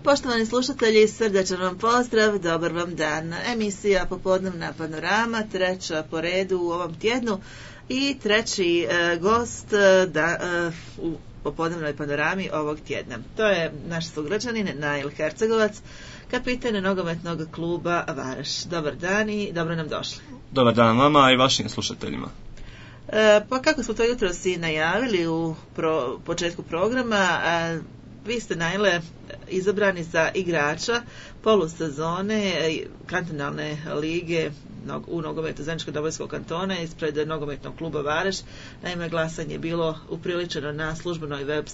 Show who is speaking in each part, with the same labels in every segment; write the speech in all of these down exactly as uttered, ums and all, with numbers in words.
Speaker 1: Poštovani slušatelji, srdačan vam pozdrav, dobar vam dan. Emisija Popodnevna panorama, treća po redu u ovom tjednu i treći e, gost e, da, e, u Popodnevnoj panorami ovog tjedna. To je naš sugrađanin Nail Hercegovac, kapiten nogometnog kluba Vareš. Dobar dan i dobro nam došli.
Speaker 2: Dobar dan vama i vašim slušateljima.
Speaker 1: E, pa kako smo to jutro si najavili u pro, početku programa, a, vi ste, Naile, izabrani za igrača polusezone kantonalne lige u nogometu Zeničkog Dobojskog kantona ispred nogometnog kluba Vareš. Naime, glasanje je bilo upriličeno na službenoj web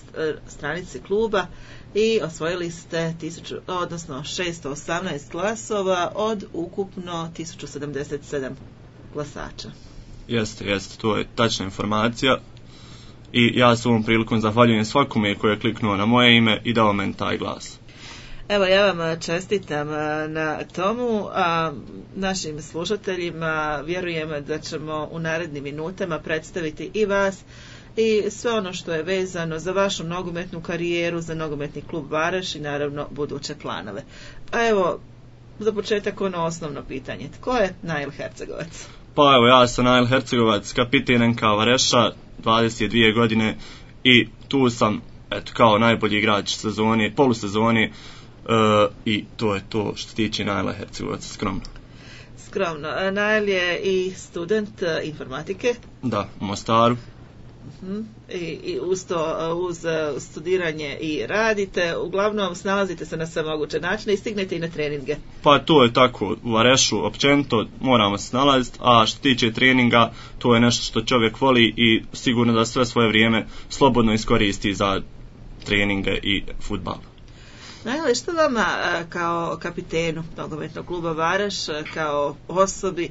Speaker 1: stranici kluba i osvojili ste tisuću, odnosno šesto osamnaest glasova od ukupno tisuću sedamdeset sedam glasača.
Speaker 2: Jeste, jeste, to je tačna informacija. I ja s ovom prilikom zahvaljujem svakome koji je kliknuo na moje ime i dao meni taj glas.
Speaker 1: Evo, ja vam čestitam na tomu, a našim slušateljima vjerujem da ćemo u narednim minutama predstaviti i vas i sve ono što je vezano za vašu nogometnu karijeru, za nogometni klub Vareš i naravno buduće planove. A evo, za početak ono osnovno pitanje. Tko je Nail Hercegovac?
Speaker 2: Pa evo, ja sam Nail Hercegovac, kapiten en ka Vareša, dvadeset dvije godine i tu sam eto, kao najbolji igrač sezoni, polusezoni uh, i to je to što tiče Naila Hercegovaca, skromno.
Speaker 1: Skromno. Nail je i student uh, informatike.
Speaker 2: Da, u Mostaru.
Speaker 1: Uh-huh. I, i uz to, uz studiranje i radite, uglavnom snalazite se na sve moguće načine i stignete i na treninge.
Speaker 2: Pa to je tako, u Varešu općenito moramo se snalaziti, a što tiče treninga, to je nešto što čovjek voli i sigurno da sve svoje vrijeme slobodno iskoristi za treninge i fudbal.
Speaker 1: Naime, što vama kao kapitenu nogometnog kluba Vareš, kao osobi,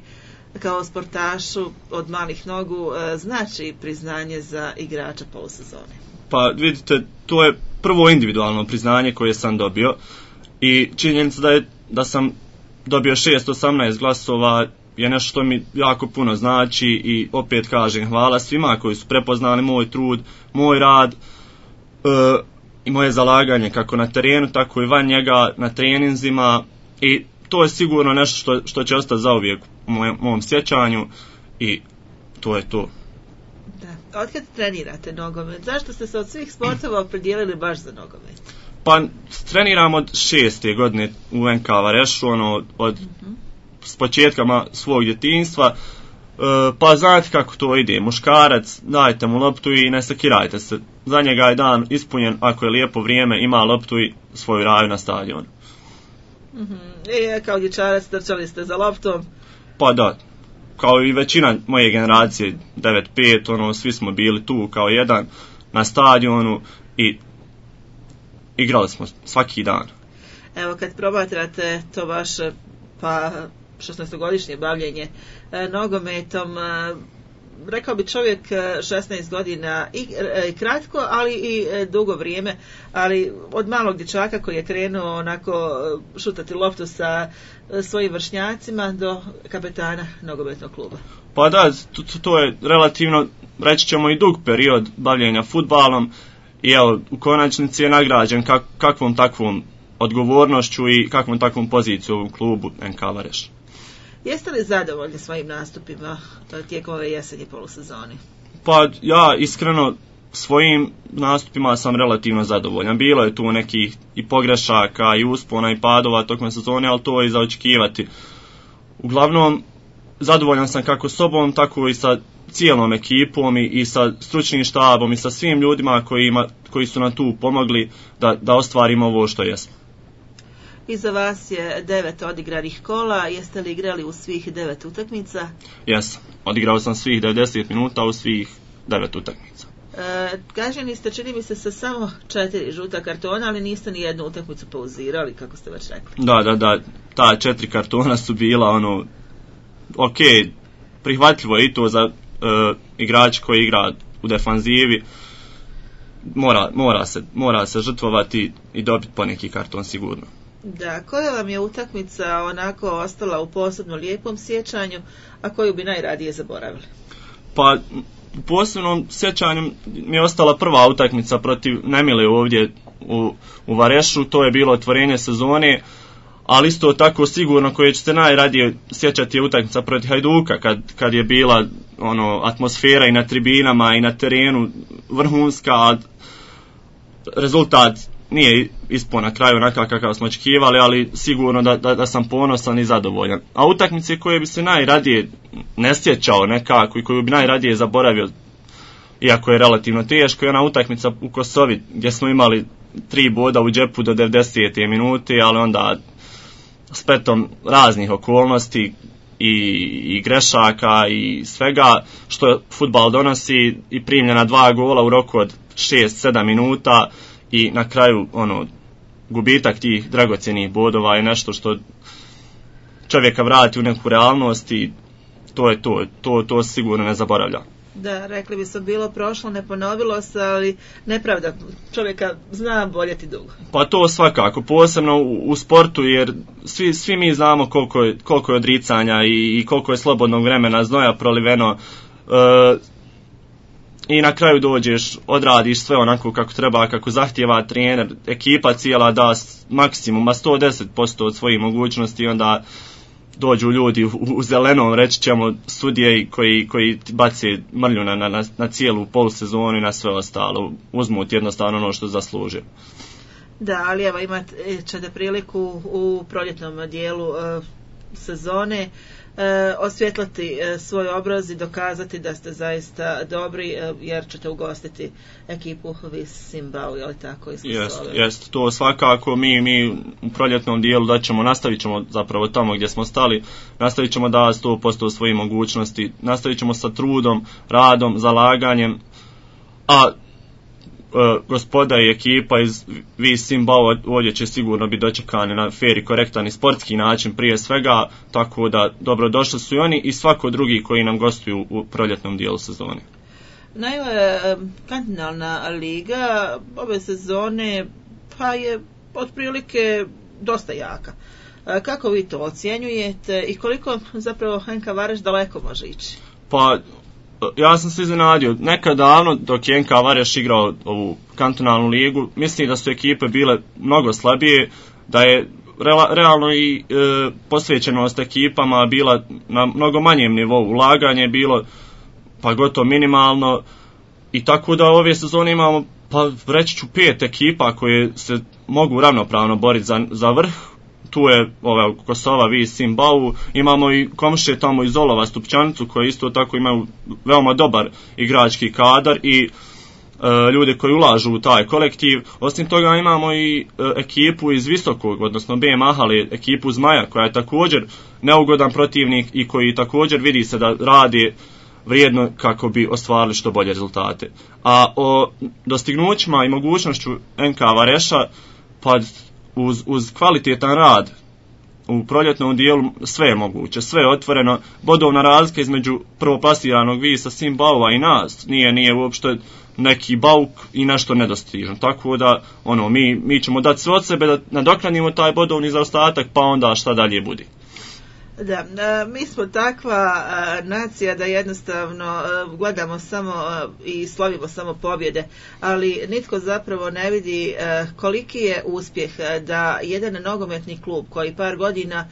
Speaker 1: kao sportašu od malih nogu znači priznanje za igrača polusezone?
Speaker 2: Pa vidite, to je prvo individualno priznanje koje sam dobio i činjenica da, je, da sam dobio šesto osamnaest glasova je nešto što mi jako puno znači i opet kažem hvala svima koji su prepoznali moj trud, moj rad e, i moje zalaganje kako na terenu, tako i van njega na treninzima i to je sigurno nešto što, što će ostati zauvijek u mojem, mom sjećanju i to je to.
Speaker 1: Da. Otkad trenirate nogomet? Zašto ste se od svih sportova opredijelili baš za nogomet?
Speaker 2: Pa treniram od šeste godine u en ka Varešu, ono, od uh-huh. s početkama svog djetinjstva. E, pa znate kako to ide. Muškarac, dajte mu loptu i ne sakirajte se. Za njega je dan ispunjen ako je lijepo vrijeme, ima loptu i svoju raju na stadionu.
Speaker 1: Mm-hmm. I kao dječarac trčali ste za loptom?
Speaker 2: Pa da, kao i većina moje generacije, devet pet, ono, svi smo bili tu kao jedan na stadionu i igrali smo svaki dan.
Speaker 1: Evo, kad promatrate to vaše pa šesnaestogodišnje bavljenje e, nogometom, e, rekao bi čovjek šesnaest godina i e, kratko, ali i e, dugo vrijeme, ali od malog dječaka koji je krenuo onako šutati loptu sa e, svojim vršnjacima do kapetana nogometnog kluba.
Speaker 2: Pa da, to, to je relativno, reći ćemo, i dug period bavljenja fudbalom i evo, u konačnici je nagrađen kak, kakvom takvom odgovornošću i kakvom takvom poziciju u klubu en ka Vareš.
Speaker 1: Jeste li zadovoljni svojim nastupima tijekom ove jesenje polusezoni?
Speaker 2: Pa ja iskreno svojim nastupima sam relativno zadovoljan. Bilo je tu nekih i pogrešaka i uspona i padova tokom sezone, ali to je za očekivati. Uglavnom, zadovoljan sam kako sobom, tako i sa cijelom ekipom i, i sa stručnim štabom i sa svim ljudima kojima, koji su nam tu pomogli da, da ostvarimo ovo što jesmo.
Speaker 1: Iza vas je devet odigranih kola. Jeste li igrali u svih devet utakmica?
Speaker 2: Jesam. Odigrao sam svih devedeset minuta u svih devet utakmica.
Speaker 1: E, kaženi ste, čini mi se, sa samo četiri žuta kartona, ali niste ni jednu utakmicu pauzirali, kako ste već rekli.
Speaker 2: Da, da, da. Ta četiri kartona su bila ono, ok, prihvatljivo i to za uh, igrač koji igra u defanzivi. Mora, mora, se, mora se žrtvovati i dobiti poneki karton sigurno.
Speaker 1: Da, koja vam je utakmica onako ostala u posebno lijepom sjećanju, a koju bi najradije zaboravili?
Speaker 2: Pa u posebnom sjećanju mi je ostala prva utakmica protiv Nemile ovdje u, u Varešu, to je bilo otvorenje sezone, ali isto tako sigurno koje ćete najradije sjećati je utakmica protiv Hajduka, kad, kad je bila ono atmosfera i na tribinama i na terenu vrhunska, a rezultat nije ispao na kraju onakav kakav smo očekivali, ali sigurno da, da, da sam ponosan i zadovoljan. A utakmice koje bi se najradije ne sjećao nekako i koju bi najradije zaboravio, iako je relativno teško, je ona utakmica u Kosovi gdje smo imali tri boda u džepu do devedesete minute, ali onda spletom raznih okolnosti i, i grešaka i svega što fudbal donosi i primljena dva gola u roku od šest sedam minuta i na kraju ono gubitak tih dragocjenih bodova je nešto što čovjeka vrati u neku realnost i to je to, to, to sigurno ne zaboravlja.
Speaker 1: Da, rekli bi se bilo prošlo, ne ponovilo se, ali nepravda čovjeka zna boljeti dugo.
Speaker 2: Pa to svakako, posebno u, u sportu, jer svi, svi mi znamo koliko je, koliko je odricanja i, i koliko je slobodnog vremena, znoja proliveno, e, i na kraju dođeš, odradiš sve onako kako treba, kako zahtjeva trener, ekipa cijela da maksimum, sto deset posto od svojih mogućnosti, onda dođu ljudi u, u zelenom, reći ćemo, sudije koji, koji bace mrlju na, na, na cijelu polusezonu i na sve ostalo. Uzmu ti jednostavno ono što zasluže.
Speaker 1: Da, ali evo imat ćete priliku u proljetnom dijelu e, sezone e, osvjetlati e, svoj obraz i dokazati da ste zaista dobri, e, jer ćete ugostiti ekipu Vis Simbau, je li tako?
Speaker 2: Jest, jest, to svakako mi, mi u proljetnom dijelu da ćemo, nastavit ćemo zapravo tamo gdje smo stali, nastavit ćemo da sto posto svojih mogućnosti, nastavit ćemo sa trudom, radom, zalaganjem, a Uh, gospoda i ekipa iz Vis Simbau ovdje će sigurno biti dočekani na fer i korektan i sportski način prije svega, tako da dobrodošli su i oni i svako drugi koji nam gostuju u proljetnom dijelu sezone.
Speaker 1: Naime, kontinentalna liga ove sezone pa je otprilike dosta jaka. Kako vi to ocjenjujete i koliko zapravo N K Vareš daleko može ići?
Speaker 2: Pa ja sam se iznenadio, nekad davno dok je N K Vareš igrao ovu kantonalnu ligu, mislim da su ekipe bile mnogo slabije, da je realno i e, posvećenost ekipama bila na mnogo manjem nivou, ulaganje je bilo pa gotovo minimalno i tako da ove sezone imamo, pa reći ću, pet ekipa koje se mogu ravnopravno boriti za, za vrh. Tu je ova Kosova, Vis Simbau, imamo i komšije tamo iz Olova, Stupčanicu, koji isto tako imaju veoma dobar igrački kadar i e, ljude koji ulažu u taj kolektiv. Osim toga imamo i e, ekipu iz Visokog, odnosno B. Mahale, ekipu Zmaja, koja je također neugodan protivnik i koji također vidi se da radi vrijedno kako bi ostvarili što bolje rezultate. A o dostignućima i mogućnošću N K Vareša, pa Uz, uz kvalitetan rad u proljetnom dijelu sve je moguće, sve je otvoreno. Bodovna razlika između prvoplasiranog Visa Simbaua i nas nije nije uopšte neki bauk i nešto nedostižno. Tako da ono mi mi ćemo dati sve od sebe da nadoknadimo taj bodovni zaostatak, pa onda šta dalje bude.
Speaker 1: Da, mi smo takva nacija da jednostavno gledamo samo i slavimo samo pobjede, ali nitko zapravo ne vidi koliki je uspjeh da jedan nogometni klub koji par godina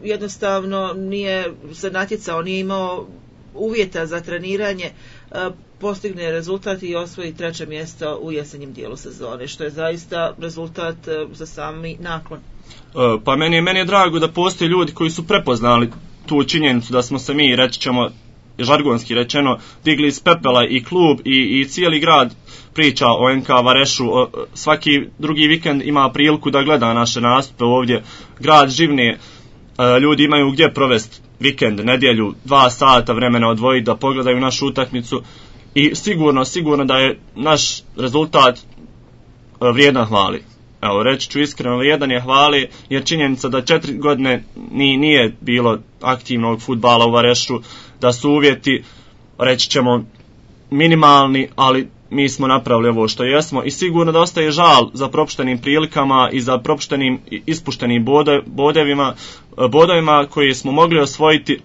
Speaker 1: jednostavno nije se natjecao, nije imao uvjeta za treniranje, postigne rezultat i osvoji treće mjesto u jesenjem dijelu sezone, što je zaista rezultat za sami naklon.
Speaker 2: Pa meni je, meni je drago da postoje ljudi koji su prepoznali tu činjenicu da smo se mi, reći ćemo, žargonski rečeno, digli iz pepela i klub i, i cijeli grad priča o N K Varešu. O, svaki drugi vikend ima priliku da gleda naše nastupe ovdje. Grad živne, ljudi imaju gdje provesti vikend, nedjelju, dva sata vremena odvojiti da pogledaju našu utakmicu i sigurno, sigurno da je naš rezultat vrijedan hvali. Evo, reći ću iskreno, vrijedan je hvali, jer činjenica da četiri godine nije bilo aktivnog fudbala u Varešu, da su uvjeti, reći ćemo, minimalni, ali mi smo napravili ovo što jesmo i sigurno da ostaje žal za propuštenim prilikama i za propuštenim ispuštenim bode, bodevima, bodovima koji smo mogli osvojiti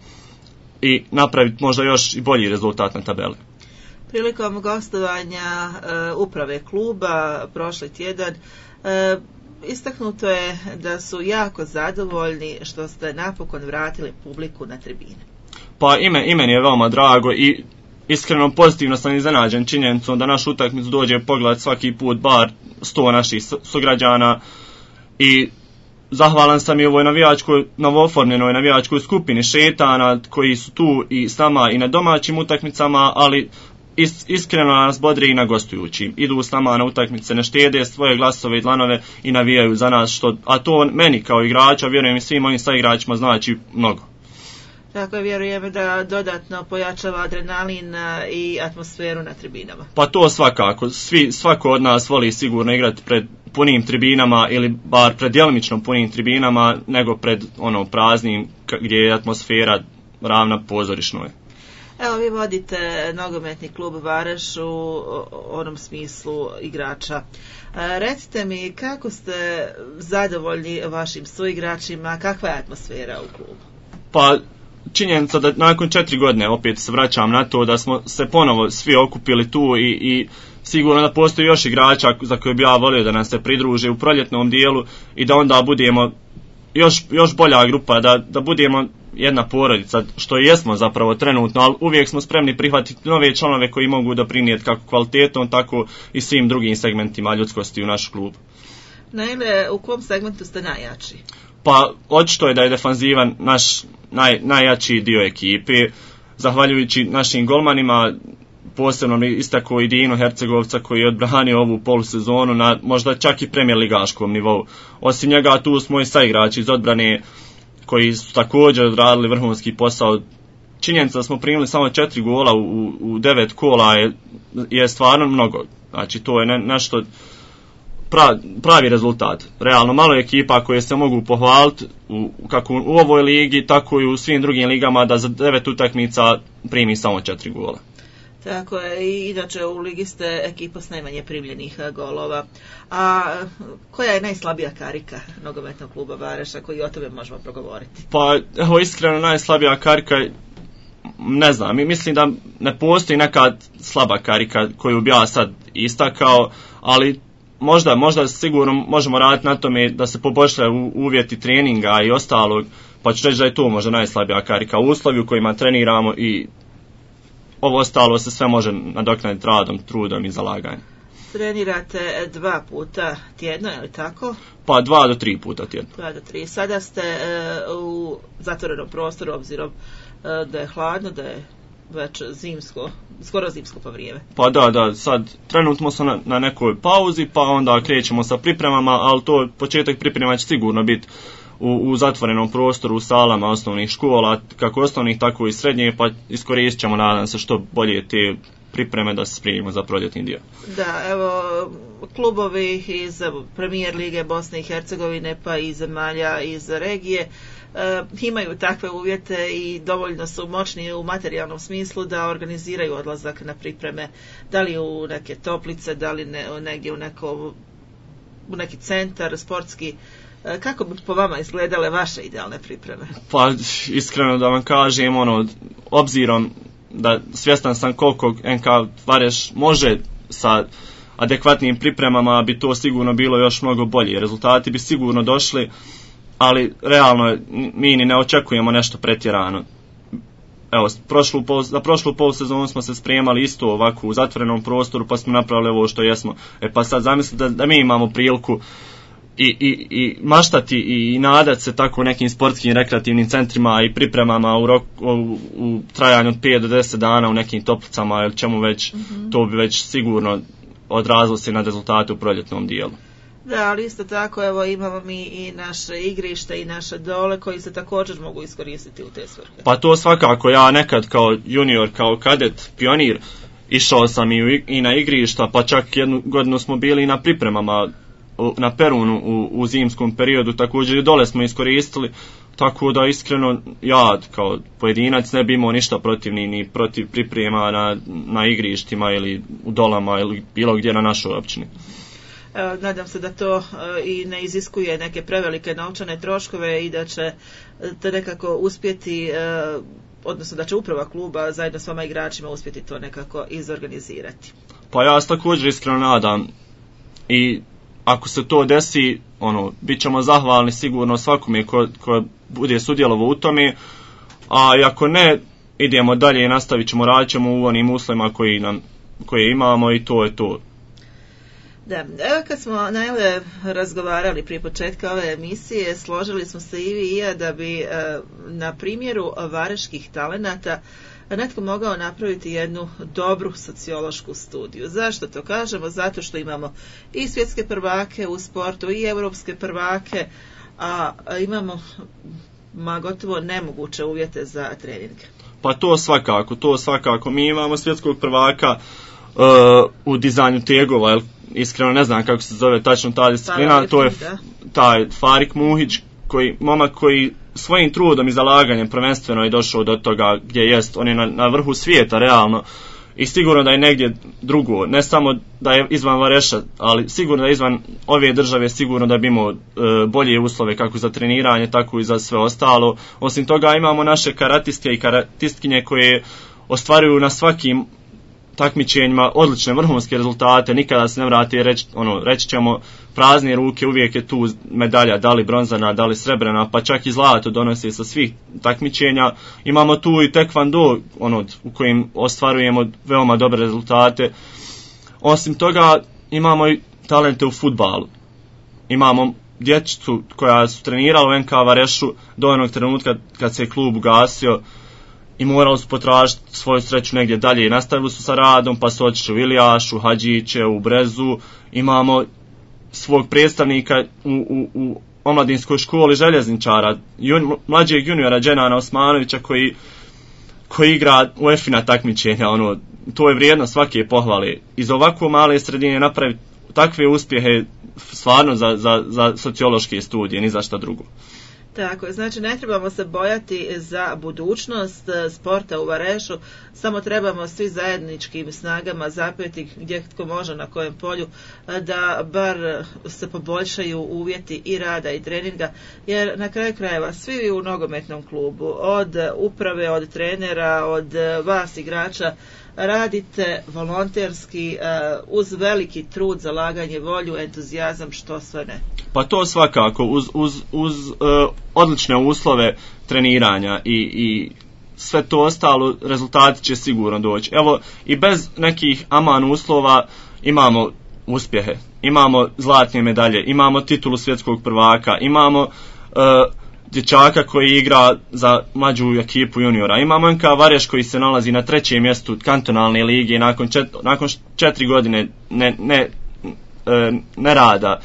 Speaker 2: i napraviti možda još i bolji rezultat na tabeli.
Speaker 1: Prilikom gostovanja e, uprave kluba prošli tjedan e, istaknuto je da su jako zadovoljni što ste napokon vratili publiku na tribine.
Speaker 2: Pa ime, ime je veoma drago i iskreno pozitivno sam iznenađen činjenicom da našu utakmicu dođe pogled svaki put bar sto naših sugrađana i zahvalan sam i ovoj navijačkoj, novooformljenoj navijačkoj skupini šetana koji su tu i s nama i na domaćim utakmicama, ali is, iskreno nas bodri i na gostujućim. Idu s nama na utakmice, ne štede svoje glasove i dlanove i navijaju za nas, što, a to meni kao igrača, vjerujem i svim mojim saigračima, znači mnogo.
Speaker 1: Tako je, vjerujem da dodatno pojačava adrenalin i atmosferu na tribinama.
Speaker 2: Pa to svakako. Svi, svako od nas voli sigurno igrati pred punim tribinama ili bar pred djelimično punim tribinama nego pred ono praznim gdje je atmosfera ravna pozorišnoj.
Speaker 1: Evo, vi vodite nogometni klub Vareš u onom smislu igrača. Recite mi, kako ste zadovoljni vašim suigračima, kakva je atmosfera u klubu?
Speaker 2: Pa činjenica da nakon četiri godine opet se vraćam na to da smo se ponovo svi okupili tu i, i sigurno da postoji još igrača za koje bi ja volio da nam se pridruže u proljetnom dijelu i da onda budemo još, još bolja grupa, da, da budemo jedna porodica, što i jesmo zapravo trenutno, ali uvijek smo spremni prihvatiti nove članove koji mogu doprinijeti kako kvalitetom, tako i svim drugim segmentima ljudskosti u naš klub.
Speaker 1: Naime, u kom segmentu ste najjači?
Speaker 2: Pa očito je da je defanzivan naš naj, najjači dio ekipe, zahvaljujući našim golmanima, posebno istako i Dino Hercegovca koji je odbranio ovu polusezonu na možda čak i premijer ligaškom nivou. Osim njega tu smo i saigrači iz odbrane koji su također odradili vrhunski posao. Činjenica da smo primili samo četiri gola u, u devet kola je, je stvarno mnogo. Znači to je ne, nešto pra, pravi rezultat. Realno malo ekipa koje se mogu pohvaliti u, kako u ovoj ligi, tako i u svim drugim ligama da za devet utakmica primi samo četiri gola.
Speaker 1: Tako je, i inače u ligi ste ekipa s najmanje primljenih golova. A koja je najslabija karika nogometnog kluba Vareša, koji o tome možemo progovoriti?
Speaker 2: Pa evo iskreno najslabija karika, ne znam, mislim da ne postoji neka slaba karika koju bi ja sad istakao, ali možda, možda sigurno možemo raditi na tome da se poboljšaju uvjeti treninga i ostalog, pa ću reći da je to možda najslabija karika. Uslovi u kojima treniramo i ovo ostalo se sve može nadoknaditi radom, trudom i zalaganjem.
Speaker 1: Trenirate dva puta tjedno, je li tako?
Speaker 2: Pa dva do tri puta tjedno.
Speaker 1: Dva do tri. Sada ste e, u zatvorenom prostoru, obzirom e, da je hladno, da je već zimsko, skoro zimsko pa vrijeme.
Speaker 2: Pa da, da, sad trenutno smo na, na nekoj pauzi, pa onda krećemo sa pripremama, ali to početak priprema će sigurno biti U, u zatvorenom prostoru, u salama osnovnih škola, kako osnovnih, tako i srednje, pa iskoristit ćemo, nadam se, što bolje te pripreme da se spremimo za proljetni dio.
Speaker 1: Da, evo, klubovi iz Premijer Lige Bosne i Hercegovine, pa i zemalja iz regije, e, imaju takve uvjete i dovoljno su moćni u materijalnom smislu da organiziraju odlazak na pripreme, da li u neke toplice, da li ne, negdje u, neko, u neki centar sportski. Kako bi po vama izgledale vaše idealne pripreme?
Speaker 2: Pa iskreno da vam kažem, ono, obzirom da svjestan sam koliko N K Vareš može sa adekvatnim pripremama, bi to sigurno bilo još mnogo bolje. Rezultati bi sigurno došli, ali realno mi ni ne očekujemo nešto pretjerano. Evo, prošlu, za prošlu polusezonu smo se spremali isto ovako u zatvorenom prostoru, pa smo napravili ovo što jesmo. E pa sad zamislite da, da mi imamo priliku I, i, i maštati i, i nadat se tako nekim sportskim rekreativnim centrima i pripremama u, rok, u, u trajanju od pet do deset dana u nekim toplicama ili čemu već, mm-hmm. To bi već sigurno odrazilo se na rezultate u proljetnom dijelu.
Speaker 1: Da, ali isto tako, evo, imamo mi i naše igrište i naše dole koji se također mogu iskoristiti u te svrhe.
Speaker 2: Pa to svakako, ja nekad kao junior, kao kadet, pionir, išao sam i, u, i na igrišta, pa čak jednu godinu smo bili i na pripremama na Perunu u, u zimskom periodu, također i dole smo iskoristili, tako da iskreno ja kao pojedinac ne bi imao ništa protiv ni, ni protiv priprema na, na igrištima ili u dolama ili bilo gdje na našoj općini.
Speaker 1: Evo, nadam se da to e, i ne iziskuje neke prevelike novčane troškove i da će te nekako uspjeti e, odnosno da će uprava kluba zajedno s vama igračima uspjeti to nekako izorganizirati.
Speaker 2: Pa ja se također iskreno nadam i ako se to desi, ono, bit ćemo zahvalni sigurno svakome ko, ko bude sudjelovao u tome, a ako ne, idemo dalje i nastavit ćemo, radit ćemo u onim uslovima koji nam, koje imamo i to je to.
Speaker 1: Da, evo kad smo najle razgovarali prije početka ove emisije, složili smo se i vi i ja da bi e, na primjeru vareških talenata netko mogao napraviti jednu dobru sociološku studiju. Zašto to kažemo? Zato što imamo i svjetske prvake u sportu i europske prvake, a imamo ma gotovo nemoguće uvjete za treninge.
Speaker 2: Pa to svakako, to svakako. Mi imamo svjetskog prvaka uh, u dizajnu tegova, jel? Iskreno ne znam kako se zove tačno ta disciplina, to je taj Farik Muhić, koji, momak koji svojim trudom i zalaganjem prvenstveno je došao do toga gdje jest, on je na, na vrhu svijeta realno i sigurno da je negdje drugo, ne samo da je izvan Vareša, ali sigurno da je izvan ove države, sigurno da bi imao e, bolje uslove kako za treniranje, tako i za sve ostalo. Osim toga imamo naše karatiste i karatistkinje koje ostvaruju na svakim takmičenjima odlične vrhunske rezultate, nikada se ne vrati reći, ono, reći ćemo prazne ruke, uvijek je tu medalja, da li bronzana, da li srebrena, pa čak i zlato donosi sa svih takmičenja. Imamo tu i taekwondo, ono, u kojim ostvarujemo veoma dobre rezultate. Osim toga imamo i talente u fudbalu. Imamo dječicu koja su trenirala u en ka Varešu do onog trenutka kad se je klub ugasio i morali su potražiti svoju sreću negdje dalje i nastavili su sa radom, pa su otišli u Ilijašu, Hadžiće, u Brezu. Imamo svog predstavnika u, u, u omladinskoj školi željezničara, jun, mlađeg juniora Dženana Osmanovića koji, koji igra u E F I na takmičenja. Ono, to je vrijedno svake pohvale. Iz ovako male sredine napraviti takve uspjehe stvarno za, za, za sociološke studije, ni za šta drugo.
Speaker 1: Tako je, znači ne trebamo se bojati za budućnost sporta u Varešu, samo trebamo svi zajedničkim snagama zapeti gdje tko može na kojem polju da bar se poboljšaju uvjeti i rada i treninga, jer na kraju krajeva svi u nogometnom klubu, od uprave, od trenera, od vas igrača, radite volonterski uz veliki trud, zalaganje, volju, entuzijazam, što sve ne.
Speaker 2: Pa to svakako, uz, uz, uz uh, odlične uslove treniranja i, i sve to ostalo, rezultati će sigurno doći. Evo, i bez nekih aman uslova imamo uspjehe, imamo zlatne medalje, imamo titulu svjetskog prvaka, imamo uh, dječaka koji igra za mlađu ekipu juniora. Imamo en ka Vareš koji se nalazi na trećem mjestu kantonalne lige nakon, čet, nakon četiri godine ne, ne, ne, ne rada.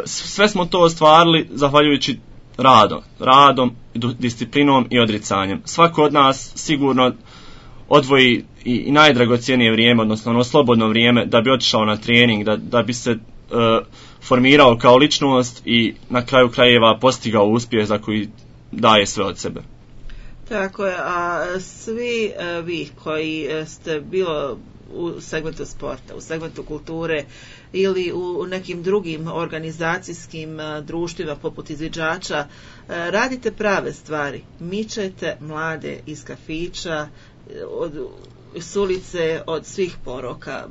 Speaker 2: Sve smo to ostvarili zahvaljujući radom, radom, disciplinom i odricanjem. Svako od nas sigurno odvoji i, i najdragocijenije vrijeme, odnosno ono slobodno vrijeme da bi otišao na trening, da, da bi se uh, formirao kao ličnost i na kraju krajeva postigao uspjeh za koji daje sve od sebe.
Speaker 1: Tako je, a svi uh, vi koji ste bilo u segmentu sporta, u segmentu kulture ili u nekim drugim organizacijskim društvima poput izviđača, radite prave stvari. Mičete mlade iz kafića, od, s ulice, od svih poroka.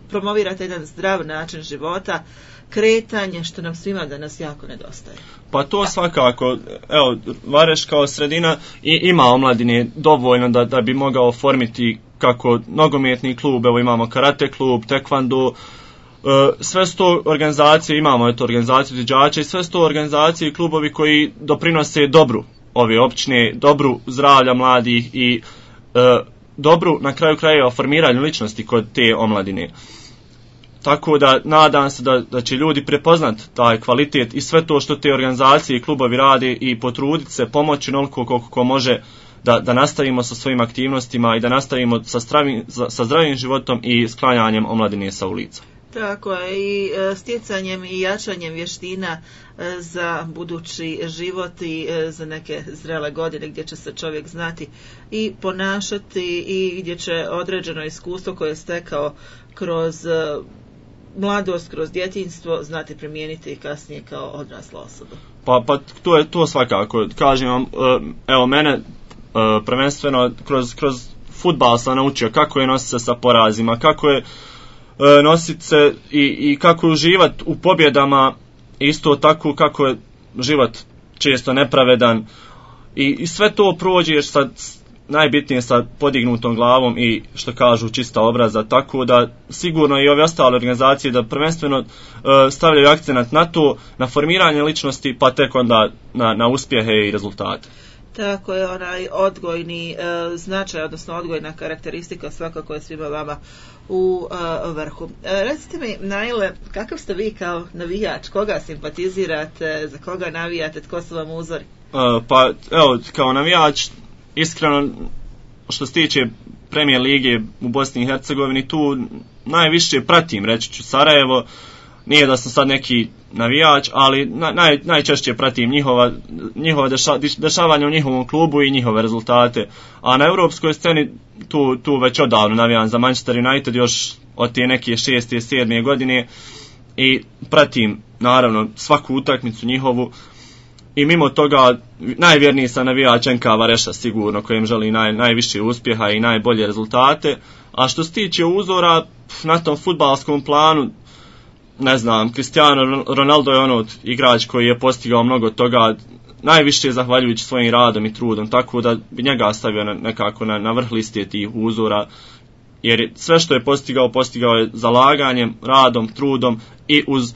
Speaker 1: Promovirate jedan zdrav način života, kretanje, što nam svima danas jako nedostaje.
Speaker 2: Pa to svakako, evo, Vareš kao sredina i ima omladine dovoljno da, da bi mogao formiti kako nogometni klub, evo imamo karate klub, taekwondo, sve sto organizacije, imamo eto organizaciju izviđača i sve sto organizacije i klubovi koji doprinose dobru ove općine, dobru zdravlja mladih i e, dobru na kraju krajeva formiranju ličnosti kod te omladine. Tako da nadam se da, da će ljudi prepoznat taj kvalitet i sve to što te organizacije i klubovi rade i potruditi se, pomoći onoliko koliko ko može da, da nastavimo sa svojim aktivnostima i da nastavimo sa, stravim, sa zdravim životom i sklanjanjem omladine sa ulica.
Speaker 1: Tako je, i stjecanjem i jačanjem vještina za budući život i za neke zrele godine gdje će se čovjek znati i ponašati i gdje će određeno iskustvo koje je stekao kroz mladost, kroz djetinjstvo znati primijeniti i kasnije kao odrasla osoba.
Speaker 2: Pa, pa to je to svakako. Kažem vam, evo mene Uh, prvenstveno kroz, kroz fudbal sam naučio kako je nositi se sa porazima, kako je uh, nositi se i, i kako je uživati u pobjedama, isto tako kako je život često nepravedan i, i sve to prođeš sa najbitnije sa podignutom glavom i što kažu čista obraza, tako da sigurno i ove ostale organizacije da prvenstveno uh, stavljaju akcenat na to, na formiranje ličnosti, pa tek onda na, na uspjehe i rezultate.
Speaker 1: Tako je, onaj odgojni e, značaj, odnosno odgojna karakteristika svakako je svima vama u e, vrhu. E, recite mi, Naile, kakav ste vi kao navijač? Koga simpatizirate? Za koga navijate? Tko su vam uzori?
Speaker 2: E, pa, evo, kao navijač, iskreno, što se tiče Premijer lige u Bosni i Hercegovini, tu najviše pratim, reći ću, Sarajevo. Nije da sam sad neki navijač, ali naj, najčešće pratim njihova, njihova deša, dešavanja u njihovom klubu i njihove rezultate. A na europskoj sceni tu, tu već odavno navijam za Manchester United još od te neke šeste, sedme godine i pratim naravno svaku utakmicu njihovu. I mimo toga najvjerniji sam navijač N K Vareša sigurno, kojem želi naj, najviše uspjeha i najbolje rezultate. A što se tiče uzora na tom fudbalskom planu, ne znam, Cristiano Ronaldo je ono igrač koji je postigao mnogo toga, najviše zahvaljujući svojim radom i trudom, tako da bi njega stavio na, nekako na, na vrh liste tih uzora, jer sve što je postigao, postigao je zalaganjem, radom, trudom i uz,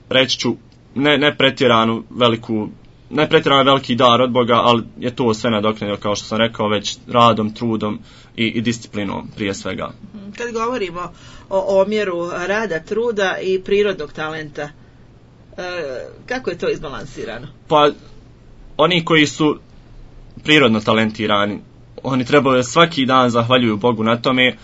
Speaker 2: reći ću, ne, ne pretjeranu veliku, ne pretjerano veliki dar od Boga, ali je to sve nadoknadilo, kao što sam rekao, već radom, trudom i, i disciplinom prije svega.
Speaker 1: Kad govorimo o omjeru rada, truda i prirodnog talenta, e, kako je to izbalansirano?
Speaker 2: Pa, oni koji su prirodno talentirani, oni trebaju svaki dan zahvaljuju Bogu na tome,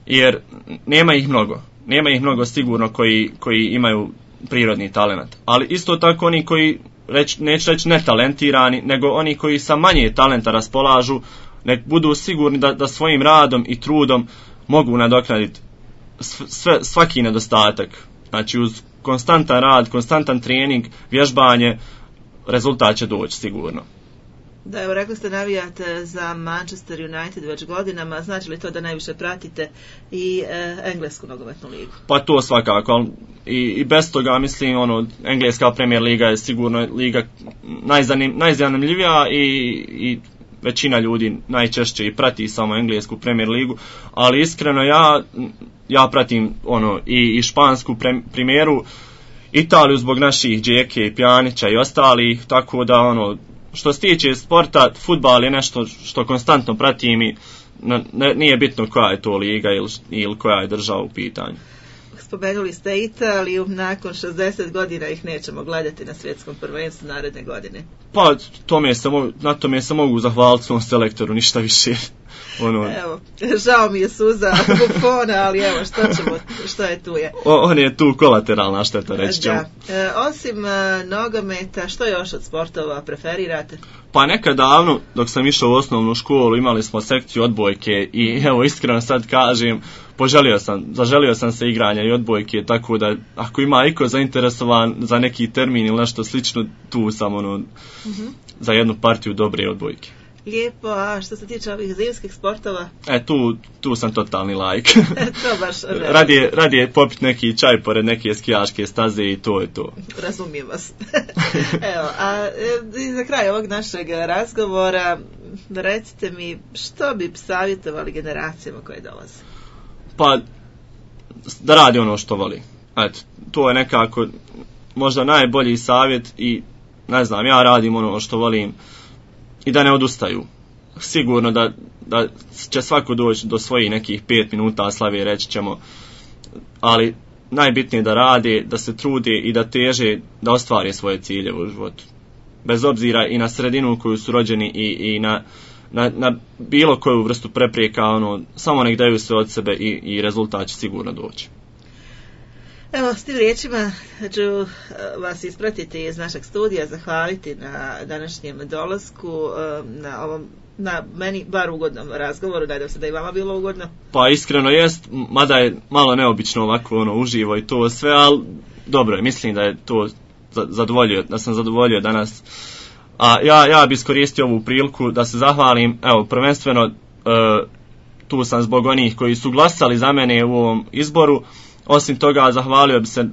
Speaker 2: jer nema ih mnogo. Nema ih mnogo sigurno koji, koji imaju prirodni talent. Ali isto tako oni koji, reć, neću reći netalentirani, nego oni koji sa manje talenta raspolažu, nek budu sigurni da, da svojim radom i trudom mogu nadoknaditi sve, svaki nedostatak. Znači uz konstantan rad, konstantan trening, vježbanje, rezultat će doći sigurno.
Speaker 1: Da, evo rekli ste navijate za Manchester United već godinama, znači li to da najviše pratite i e, englesku nogometnu ligu?
Speaker 2: Pa to svakako, i, i bez toga mislim, ono, engleska Premier liga je sigurno liga najzanim, najzanimljivija i, i većina ljudi najčešće i prati samo englesku Premier ligu, ali iskreno ja, ja pratim ono, i, i špansku pre, primjeru, Italiju zbog naših Džeke i Pjanića i ostalih, tako da ono, što se tiče sporta, fudbal je nešto što konstantno pratim i ne, nije bitno koja je to liga ili, ili koja je država u pitanju.
Speaker 1: Spomenuli ste Italiju, nakon šezdeset godina ih nećemo gledati na svjetskom prvenstvu naredne godine.
Speaker 2: Pa tome se mogu, na tome se mogu zahvaliti svom selektoru, ništa više. Ono...
Speaker 1: Evo, žao mi je suza Buffona, ali evo, što ćemo, što je tu je.
Speaker 2: O, on je tu kolateralna šteta, reći ćemo.
Speaker 1: Da. E, osim e, nogometa, što još od sportova preferirate?
Speaker 2: Pa nekad davno, dok sam išao u osnovnu školu, imali smo sekciju odbojke i evo, iskreno sad kažem, poželio sam, zaželio sam se igranja i odbojke, tako da ako ima iko zainteresovan za neki termin ili nešto slično, tu sam ono, mm-hmm. za jednu partiju dobre odbojke.
Speaker 1: Lijepo, a što se tiče ovih zimskih sportova?
Speaker 2: E, tu, tu sam totalni lajk.
Speaker 1: To baš ne.
Speaker 2: radije, radije popiti neki čaj pored neke skijaške staze i to je to.
Speaker 1: Razumijem vas. Evo, a e, za kraj ovog našeg razgovora, recite mi što bi savjetovali generacijama koje dolaze?
Speaker 2: Pa, da radi ono što voli. Eto, to je nekako možda najbolji savjet i ne znam, ja radim ono što volim i da ne odustaju. Sigurno da, da će svako doći do svojih nekih pet minuta slave, reći ćemo, ali najbitnije da rade, da se trude i da teže da ostvare svoje ciljeve u životu. Bez obzira i na sredinu u koju su rođeni i, i na, na, na bilo koju vrstu prepreka, ono, samo nek daju sve od sebe i, i rezultat će sigurno doći.
Speaker 1: Evo, s tim riječima ću vas ispratiti iz našeg studija, zahvaliti na današnjem dolasku, na ovom, na meni bar ugodnom razgovoru, nadam se da i vama bilo ugodno.
Speaker 2: Pa iskreno jest, mada je malo neobično ovako ono, uživo i to sve, ali dobro je, mislim da je to zadovoljio, da sam zadovoljio danas A ja, ja bi iskoristio ovu priliku da se zahvalim, evo, prvenstveno e, tu sam zbog onih koji su glasali za mene u ovom izboru. Osim toga, zahvalio bi se e,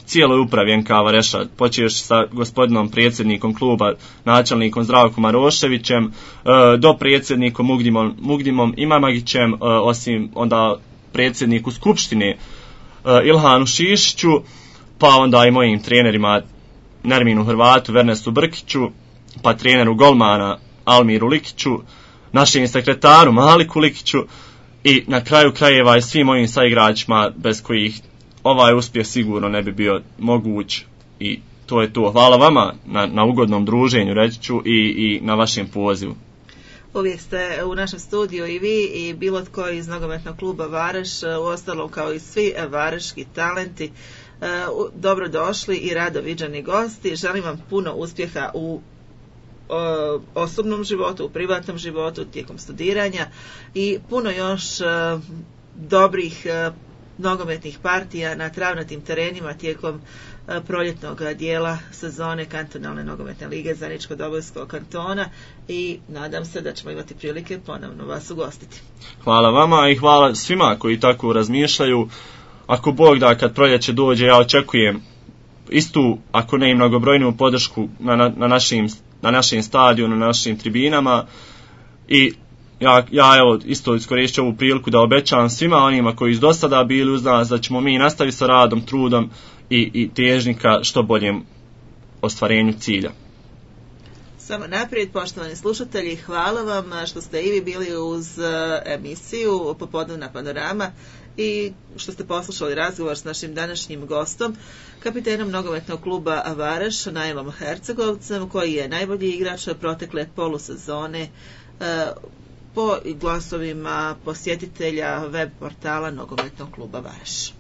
Speaker 2: cijeloj upravi N K Vareša, počeš sa gospodinom predsjednikom kluba, načelnikom Zdravkom Maroševićem, e, do predsjednikom Mugdimom, Mugdimom Imamagićem, e, osim onda predsjedniku Skupštine e, Ilhanu Šišiću, pa onda i mojim trenerima Nerminu Hrvatu, Vernesu Brkiću, pa treneru golmana Almiru Likiću, našem sekretaru Maliku Likiću i na kraju krajeva i svim mojim saigračima bez kojih ovaj uspjeh sigurno ne bi bio moguć. I to je to. Hvala vama na, na ugodnom druženju, reći ću, i, i na vašem pozivu.
Speaker 1: Uvijek ste u našem studiju i vi i bilo tko iz nogometnog kluba Vareš, uostalom kao i svi vareški talenti. Dobro došli i rado viđani gosti. Želim vam puno uspjeha u o, osobnom životu, u privatnom životu, tijekom studiranja i puno još o, dobrih o, nogometnih partija na travnatim terenima tijekom o, proljetnog dijela sezone kantonalne nogometne lige Zeničko-Dobojskog kantona i nadam se da ćemo imati prilike ponovno vas ugostiti.
Speaker 2: Hvala vama i hvala svima koji tako razmišljaju. Ako Bog da, kad proljeće dođe, ja očekujem istu, ako ne i mnogobrojniju podršku na, na, na, našim, na našim stadionu, na našim tribinama i ja, ja evo isto iskoristim ovu priliku da obećam svima onima koji su do sada bili uz nas da ćemo mi nastaviti sa radom, trudom i, i težnika što boljem ostvarenju cilja.
Speaker 1: Samo naprijed, poštovani slušatelji, hvala vam što ste i vi bili uz emisiju Popodnevna panorama i što ste poslušali razgovor s našim današnjim gostom, kapitenom nogometnog kluba Vareš, Nailom Hercegovcem, koji je najbolji igrač protekle polusezone po glasovima posjetitelja web portala nogometnog kluba Vareš.